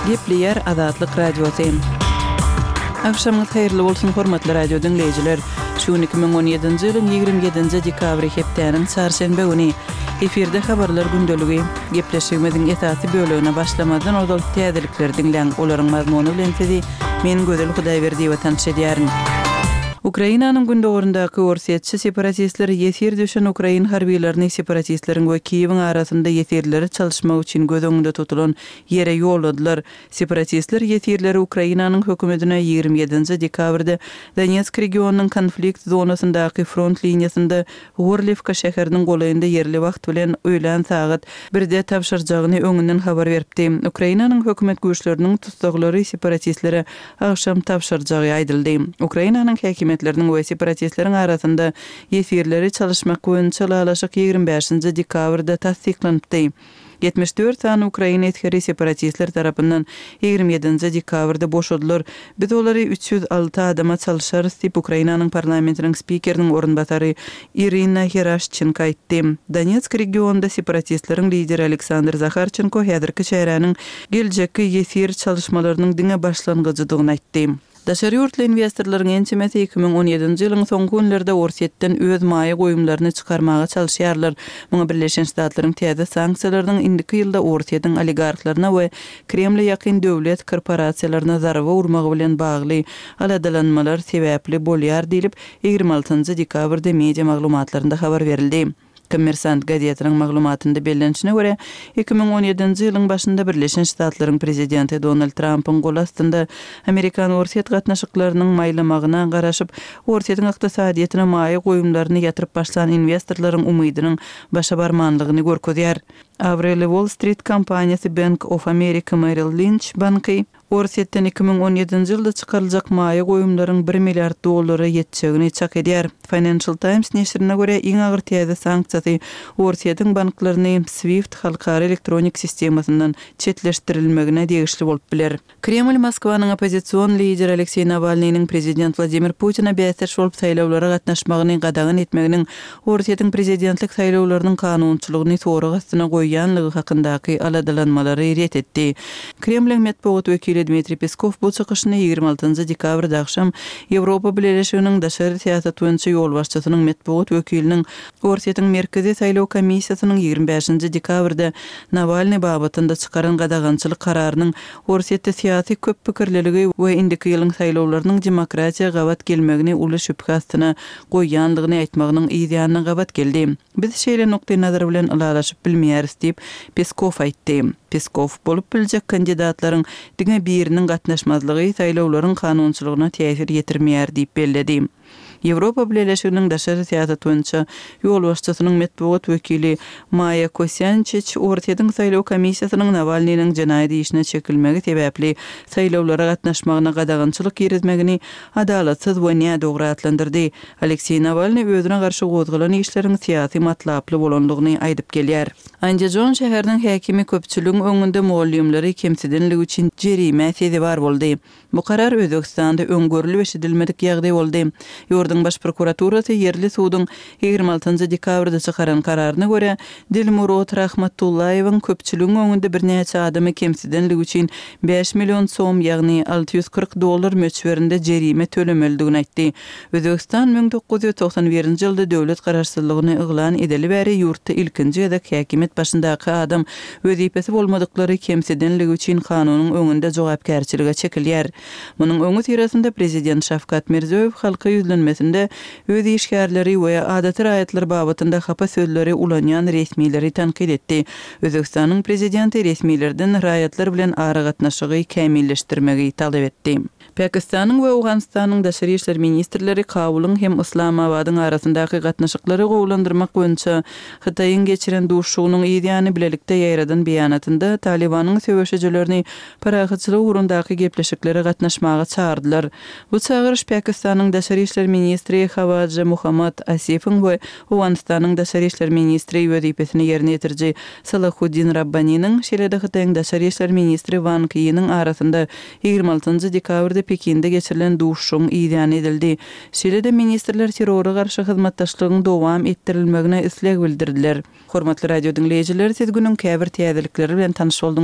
Gepleýär Azatlyk Radiosy. Agşamyňyz haýyrly bolsun, hormatly radio diňleýjiler! Şu gün 2017-nji ýylyň 27-nji dekabry hepdäniň çarşenbe güni. Efirde habarlar gündeligi. Gepleşigimiziň esasy bölegine başlamazdan ozal täzelikleri diňläň, olaryň mazmuny bilen sizi men Gözel Hudaýberdiýewa tanyş edýärin. Ukrainanyň gündogaryndaky orsýetçi separatistler ýesir düşen ukrain harbylaryny separatistleriň we Kiýewiň arasynda ýesirleri çalyşmak üçin göz öňünde tutulan ýere ýolladylar. Separatistler ýesirleri Ukrainanyň hökümetine 27-nji dekabrda Donetsk regionynyň konflikt zonasyndaky front liniýasynda Gorliwka şäheriniň golaýynda ýerli wagt bilen öýlän sagat birde tabşyrjagyny öňünden habar beripdi. Ukrainanyň hökümet güýçleriniň tussaglary separatistlere agşam tabşyrjagy aýdyldy. Ukrainanyň häkimiýetleriniň we separatistleriň arasynda ýesirleri çalyşmak boýunça ylalaşyk 25-nji dekabrda tassyklanypdy. 74 sany ukrain esgeri separatistler tarapyndan 27-nji dekabrda boşadylar. Biz olary 306 adama çalşarys diýip, Ukrainanyň parlamentiniň spikeriniň orunbasary Irina Heraşçenko aýtdy. Donetsk regionynda separatistleriň lideri Aleksandr Zaharçenko häzirki çäräniň geljekki ýesir çalyşmalarynyň diňe başlangyjydygyny aýtdy. Daşary ýurtly inwestorlaryň ençemesi 2017-nji ýylyň soňky günlerde Orsýetden öz maýa goýumlaryny çykarmaga çalyşýarlar. Muňa Birleşen Ştatlaryň täze sanksiýalarynyň indiki ýylda Orsýetiň oligarhlaryna we Kremle ýakyn döwlet korporasiýalaryna zarba urmagy bilen bagly aladalanmalar sebäpli bolýar diýlip, 26-njy dekabrda media maglumatlarynda habar berildi. Kommersant gazetiniň maglumatynda bellenişine görä, 2017-nji ýylyň başynda Birleşen Ştatlaryň prezidenti Donald Trampyň goly astynda amerikan-orsýet gatnaşyklarynyň maýlamagyna garaşyp, Orsýetiň ykdysadyýetine maýa goýumlaryny ýatyryp başlan inwestorlaryň umydynyň başa barmanlygyny görkezýär. Abraýly Wall-Strit kompaniýasy Bank of America Merrill Lynch banky, Orsýetden 2017-nji ýylda çykaryljak maýa goýumlaryň bir milliard dollara ýetjegini çak edýär. Financial Times neşirine görä, iň agyr täze sanksiýasy Orsýetiň banklaryny SWIFT halkara elektronik sistemasyndan çetleşdirilmegine degişli bolup biler. Kreml Moskwanyň oppozision lideri Alekseý Nawalnynyň prezident Wladimir Putine bäsdeş bolup saýlawlara gatnaşmagyny gadagan etmeginiň Orsýetiň prezidentlik saýlawlarynyň kanunçylygyny sorag astyna goýýanlygy hakyndaky aladalanmalary ret etdi. Kremliň metbugat wekili Dmitriý Peskow bu çykyşyny 26-njy dekabrda agşam Ýewropa Bileleşiginiň daşary syýasat boýunça ýolbaşçysynyň metbugat wekiliniň Orsýetiň Merkezi saýlaw komissiýasynyň 25-nji dekabrda Nawalnyý babatynda çykaran gadagançylyk kararynyň Orsýetde syýasy köp pikirliligi we indiki ýylyň saýlawlarynyň demokratiýa gabat gelmegini uly şübhe astyna goýýandygyny aýtmagynyň yz ýanyna gabat geldi. Biz şeýle nukdaýnazar bilen ylalaşyp bilmeýäris diýip, Peskow aýtdy. Peskow, bolup biljek kandidatlaryň diňe biriniň gatnaşmazlygy saýlawlaryň kanunçylygyna täsir ýetirmeýär diýip belledi. Ýewropa Bileleşiginiň daşary syýasat boýunça ýolbaşçysynyň metbugat wekili Maýa Kosýançiç Orsýetiň saýlaw komissiýasynyň Nawalnynyň jenaýat işine çekilmegi sebäpli saýlawlara gatnaşmagyna gadagançylyk girizmegini adalatsyz we nädogry atlandyrdy. Alekseý Nawalnyý özüne garşy gozgalan işleriň syýasy matlaply bolandygyny aýdyp gelýär. Andijon şäheriniň häkimi köpçüligiň öňünde mugallymlary kemsidenligi üçin jerimä sezewar boldy. Bu karar Özbegistanda öň görlüp-eşidilmedik ýagdaý boldy. Ýurduň Baş prokuraturasy ýerli suduň 26-njy dekabrda çykaran kararyna görä, Dilmurod Rahmatullaýewiň köpçüligiň öňünde birnäçe adamy kemsidenligi üçin bäş million som, ýagny 640 dollar möçberinde jerime tölemelidigini aýtdy. Özbegistan 1991-nji ýylda döwlet garaşsyzlygyny yglan edeli bäri ýurtda ilkinji gezek häkimiýet başyndaky adam wezipesi bolmadyklary kemsidenligi üçin kanunyň öňünde jogapkärçilige çekilýär. Munuň öňüsyrasynda prezident Şawkat Mirziýoýew halka ýüzlenmesinde öz işgärleri we adaty raýatlar babatynda hapa sözleri ulanýan resmileri tankyt etdi. Özbegistanyň prezidenti resmilerden raýatlar bilen aragatnaşygy kämilleşdirmegi talap etdi. Pakistanyň we Owganystanyň daşary işler ministrleri Kabulyň hem Yslamabadyň arasyndaky gatnaşyklary gowulandyrmak boýunça Hytaýyň geçiren duşuşygynyň yz ýany bilelikde ýaýradan beýanatynda Talybanyň söweşijilerini parahatçylyk ugrundaky gepleşiklere gatnaşmaga çagyrdylar. Bu çagyryş Pakistanyň daşary işler ministri Hawaja Muhammad Asifiň we Owganystanyň daşary işler ministri wezipesini ýerine ýetiriji Salahuddin Rabbaniniň, şeýle-de Hytaýyň daşary işler ministri Wang Ýiniň arasynda 26-njy dekabrda Pekinde geçirilen duşuşygyň yzýany edildi. Şeýle-de ministrler terrora garşy hyzmatdaşlygyň dowam etdirilmegine isleg bildirdiler. Hormatly radio diňleýjiler, siz günüň käbir täzelikleri bilen tanyş bolduňyz.